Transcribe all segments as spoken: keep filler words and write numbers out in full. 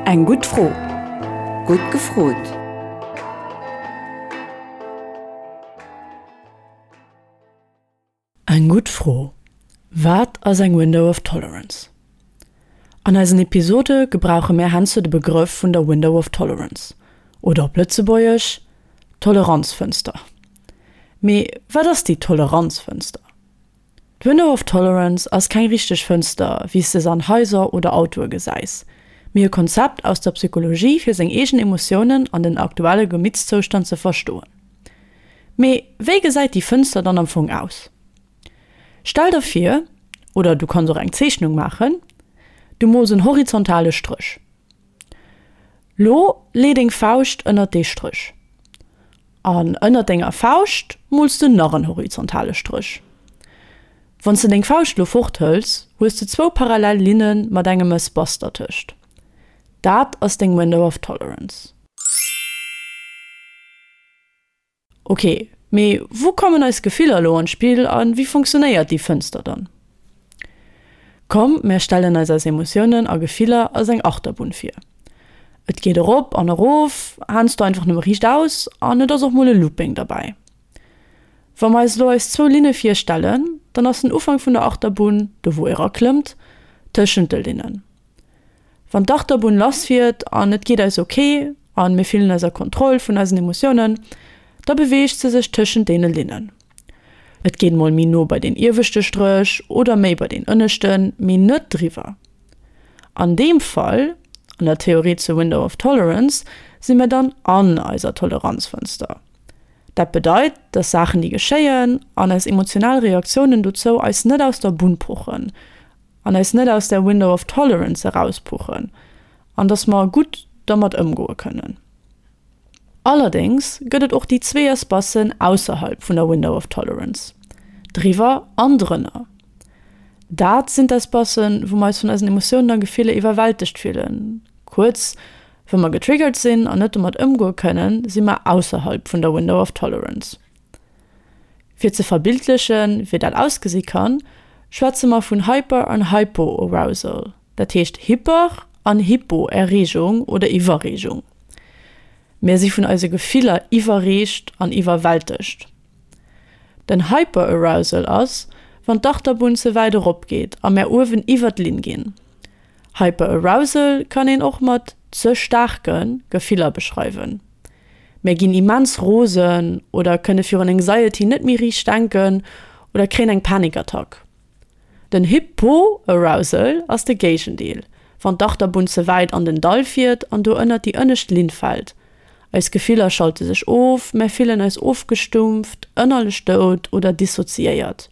Eng gutt Fro. Gutt gefrot! Eng gutt Fro, Wat ass eng Window of Tolerance? An eisen Episode gebrauche mär heiansdo de Begrëff vun der Window of Tolerance, oder op Lëtzebuergesch, Toleranzfënster. Mee wat ass déi Toleranzfënster? D'Window of Tolerance ass keng richteg Fënster, wéi s de se an Haiser oder Autoe gesäis, mee e Konzept aus der Psychologie fir seng eegen Emotiounen an den aktuelle Gemittszoustand ze verstoen. Mee wéi gesäit déi Fënster dann am Fong aus? Stell der vir, oder du kanns och eng Zeechnung maachen, du mools en horizontale Stréch. Lo lee deng Fauscht ënnert dee Stréch. An ënnert denger Fauscht mools de nach en horizontale Stréch. Wann s de deng Fauscht lo fort hëls, hues de zwou parallel Linne mat engem Espace dertëscht. Dat ass deng Window of Tolerance. Ok, mee wou kommen eis Gefiller elo an d'Spill a wéi funktionéiert déi Fënster dann? Komm mär stellen eis eis Emotiounen a Gefiller als eng Achterbunn vir. Et geet erop an erof, heiansdo einfach nëmme riichtaus an et ass och mol e Looping derbäi. Wa mer eis elo eis zwou Linne virstellen, dann ass den Ufank vun der Achterbunn, do wou eraklëmmt, tëschent de Linnen. Wann d'Achterbunn lass fiert an et geet eis ok an mir fillen eis a Kontroll vun eisen Emotiounen, da beweegt se sech tëschent deene Linnen. Et geet mol méi no bei deen ieweschte Stréch oder méi bei deen ënneschten, mee net driwwer. An deem Fall, an der Theorie zur Window of Tolerance, si mir dann an eiser Toleranzfënster. Dat bedeit, dass Saachen déi geschéien an eis emotional Reaktiounen dozou eis net aus der Bunn puchen an eis net aus der Window of Tolerance erauspuchen an dass mer gutt dermat ëmgoe kënnen. Allerdéngs gëtt et och déi zwee Espacen ausserhalb vun der Window of Tolerance, driwwer an drënner. Dat sinn d'Espacen, wou mer eis vun eisen Emotiounen a Gefiller iwwerwältegt fillen. Kuerz, wa mer getriggert sinn an net domat ëmgoe kënnen, si mer ausserhalb vun der Window of Tolerance. Fir ze verbildlechen, wéi dat ausgesi kann, schwätze mer vun Hyper an Hypo-Arousal, dat heescht Hyper an Hypo-Erreegung oder Iwwerreegung. Mir si vun eise Gefiller iwwerreegt an iwwerwältegt. Den Hyper-Arousal ass, wann d'Achterbunn ze wäit erop geet a mär uewen iwwer d'Linn ginn. Hyper-Arousal kann een och mat ze staarke Gefiller beschreiwen. Mär ginn immens rosen oder kënne virun Anxiety net méi riicht denken oder kréien eng Panikattack. Den Hypo-Arousal ass de Géigendeel, wann d'Achterbunn ze wäit an den Dall fiert an do ënnert déi ënnescht Linn fält. Eis Gefiller schalte sech of, mär fillen eis ofgestumpft, ënnerlech dout oder dissoziéiert.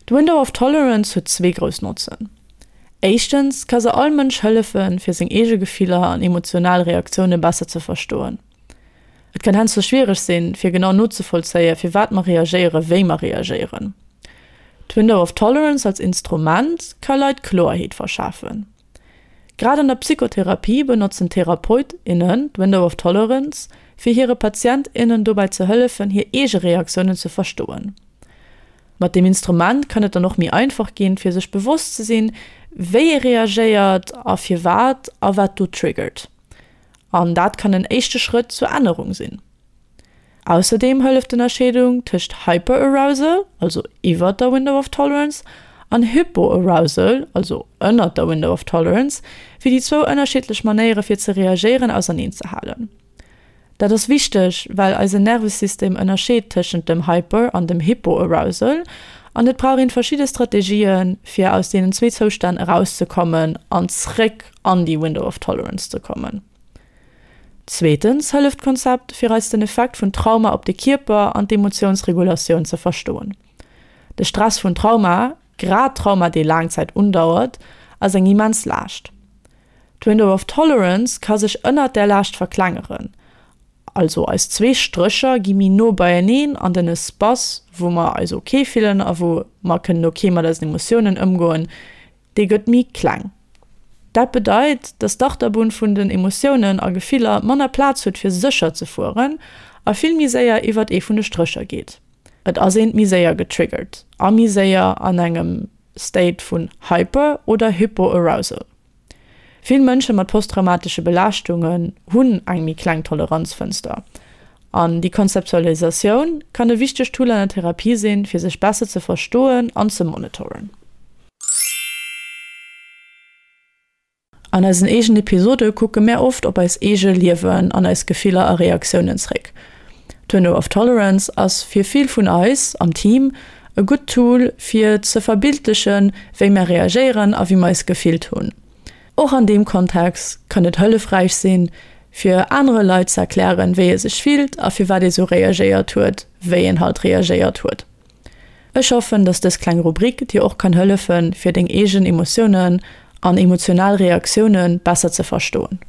D'Window of Tolerance huet zwee grouss Notzen. Éischtens ka se all Mënsch hëllefen, fir seng eege Gefiller an emotional Reaktioune besser ze verstoen. Et kann heiansdo schwiereg sinn, fir genau nozevollzéien, firwat mer reagéieren, wéi mer reagéieren. D'Window of Tolerance als Instrument ka Leit Kloerheet verschafen. Grad an der Psychotherapie benotzen Therapeut, innen d'Window of Tolerance, fir hire Patient, innen dobäi ze hëllefen, hir eege Reaktiounen ze verstoen. Mat deem Instrument kann et dann och méi einfach ginn, fir sech bewosst ze sinn, wéi ee reagéiert a firwat a wat do triggert. An dat kann en éischte Schrëtt zur Ännerung sinn. Ausserdeem hëlleft d'Ënnerscheedung tëscht Hyperarousal, also iwwert der Window of Tolerance, an Hypoarousal, also ënnert der Window of Tolerance, fir déi zwou ënnerschiddlech Manéiere fir ze reagéieren auserneen ze halen. Dat ass wichteg, well eisen Nervesystem ënnerscheet tëschent dem Hyper an dem Hypoarousal an et brauch een verschidde Strategien, fir aus deenen zwee Zoustänn erauszekommen an zréck an déi Window of Tolerance ze kommen. Zweetens hëlleft d'Konzept, fir eis den Effekt vun Trauma op de Kierper an d'Emotiounsregulatioun ze verstoen. De Stress vun Trauma, grad Trauma dee laang Zäit undauert, ass eng immens Laascht. D'Window of Tolerance ka sech ënnert där Laascht verklengeren, also eis zwee Strécher gi méi no beieneen an den Espace, wou mer eis ok fillen a wou mer kënnen ok mat eisen Emotiounen ëmgoen, dee gëtt méi kleng. Dat bedeit, dass d'Achterbunn vun den Emotiounen a Gefiller manner Plaz huet fir sécher ze fueren a vill méi séier iwwert ee vun de Strécher geet. Et ass eent méi séier getriggert a méi séier an engem State vun Hyper oder Hypoarousal. Vill Mënsche mat posttraumatesche Belaaschtungen hunn eng méi kleng Toleranzfënster. An déi Konzeptualisatioun kann e wichtegt Tool an der Therapie sinn, fir sech besser ze verstoen an ze monitoren. An eisen eegenen Episode kucke mär oft op eist eege Liewen an eis Gefiller a Reaktiounen zréck. D'Window of Tolerance ass fir vill vun eis am Team e gutt Tool fir ze verbildlechen, wéi mär reagéieren a wéi mer eis gefillt hunn. Och an deem Kontext kann et hëllefräich sinn, fir anere Leit ze erklären, wéi ee sech fillt a firwat ee sou reagéiert huet, wéi een halt reagéiert huet. Ech hoffen, dass dës kleng Rubrik dir och kann hëllefen, fir deng eegen Emotiounen an emotional Reaktioune besser ze verstoen.